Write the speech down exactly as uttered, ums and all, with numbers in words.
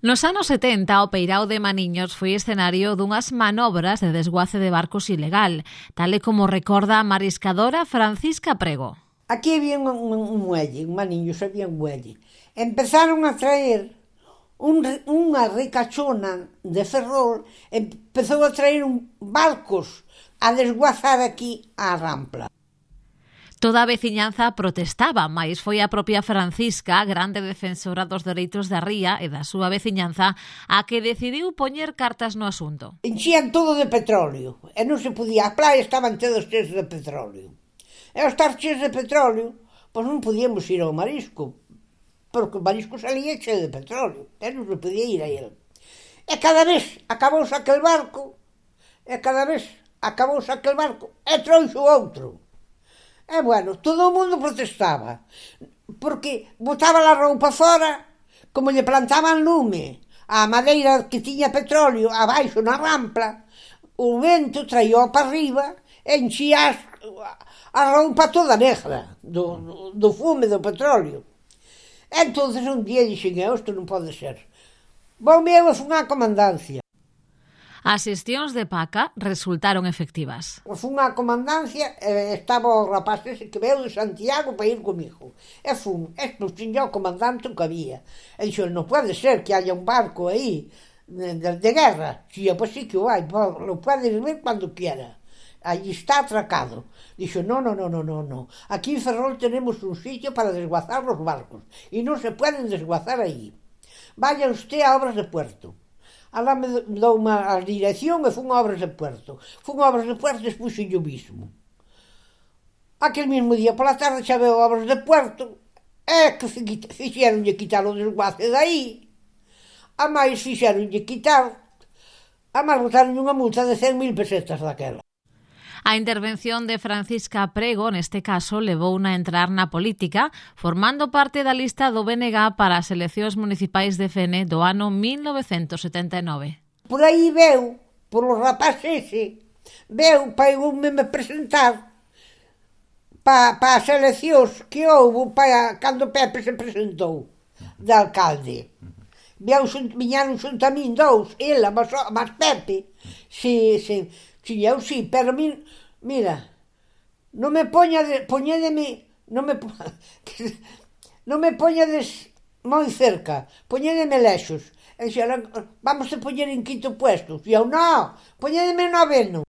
Nos anos setenta, o peirao de Maniños foi escenario dunhas manobras de desguace de barcos ilegal, tal e como recorda a mariscadora Francisca Prego. Aquí había un, un, un muelle, en Maniños había un muelle. Empezaron a traer un, unha ricachona de Ferrol, empezou a traer un, barcos a desguazar aquí á Rampla. Toda a veciñanza protestaba, mais foi a propia Francisca, grande defensora dos dereitos da ría e da súa veciñanza, a que decidiu poñer cartas no asunto. Enchían todo de petróleo, e non se podía, as playas estaban todos cheios de petróleo. E ao estar cheios de petróleo, pois non podíamos ir ao marisco, porque o marisco salía cheo de petróleo, e non se podía ir a ele. E cada vez acabouse aquel barco, e cada vez acabouse aquel barco, e trouxe outro. E, bueno, todo o mundo protestaba, porque botaba a roupa fora, como lle plantaban lume, a madeira que tiña petróleo abaixo na Rampla, o vento traía para arriba e enchía a roupa toda negra do, do, do fume do petróleo. E entonces un día dixen, isto non pode ser. Vou meu e fun á comandancia. As xestións de Paca resultaron efectivas. Fun á comandancia e estaba o rapaz ese que veu de Santiago para ir comigo. E fun, e expuxenlle ao comandante o que había. E dixo, non pode ser que haya un barco aí de, de, de guerra. Si, pois sí que o hai, lo puedes ver cando quiera. Allí está atracado. Dixo, no, no, no, no, no, no. Aquí en Ferrol tenemos un sitio para desguazar los barcos e non se pueden desguazar aí. Vaya usted a obras de puerto. Alá me dou unha dirección e fun a obras de puerto. Fun a obras de puerto e expuxen yo mismo. Aquel mismo día pola tarde xa veo obras de puerto e que fixeronlle quitar o desguace dai. A máis fixeronlle quitar, a máis botaron unha multa de cen mil pesetas daquela. A intervención de Francisca Prego, neste caso, levouna a entrar na política, formando parte da lista do B N G para as eleccións municipais de Fene do ano mil novecentos setenta e nove. Por aí veu, por o rapaz ese, veu para eu me presentar para pa as eleccións que houve para cando Pepe se presentou de alcalde. Viñaron xunto a min dous, ela, mas, mas Pepe, si, si, si, eu si, pero min, mira, non me poñades, poñédeme, non me, non me poñades moi cerca, poñédeme lexos. E dixeron, vamos a poñer en quinto puesto. E eu, non, poñédeme noveno.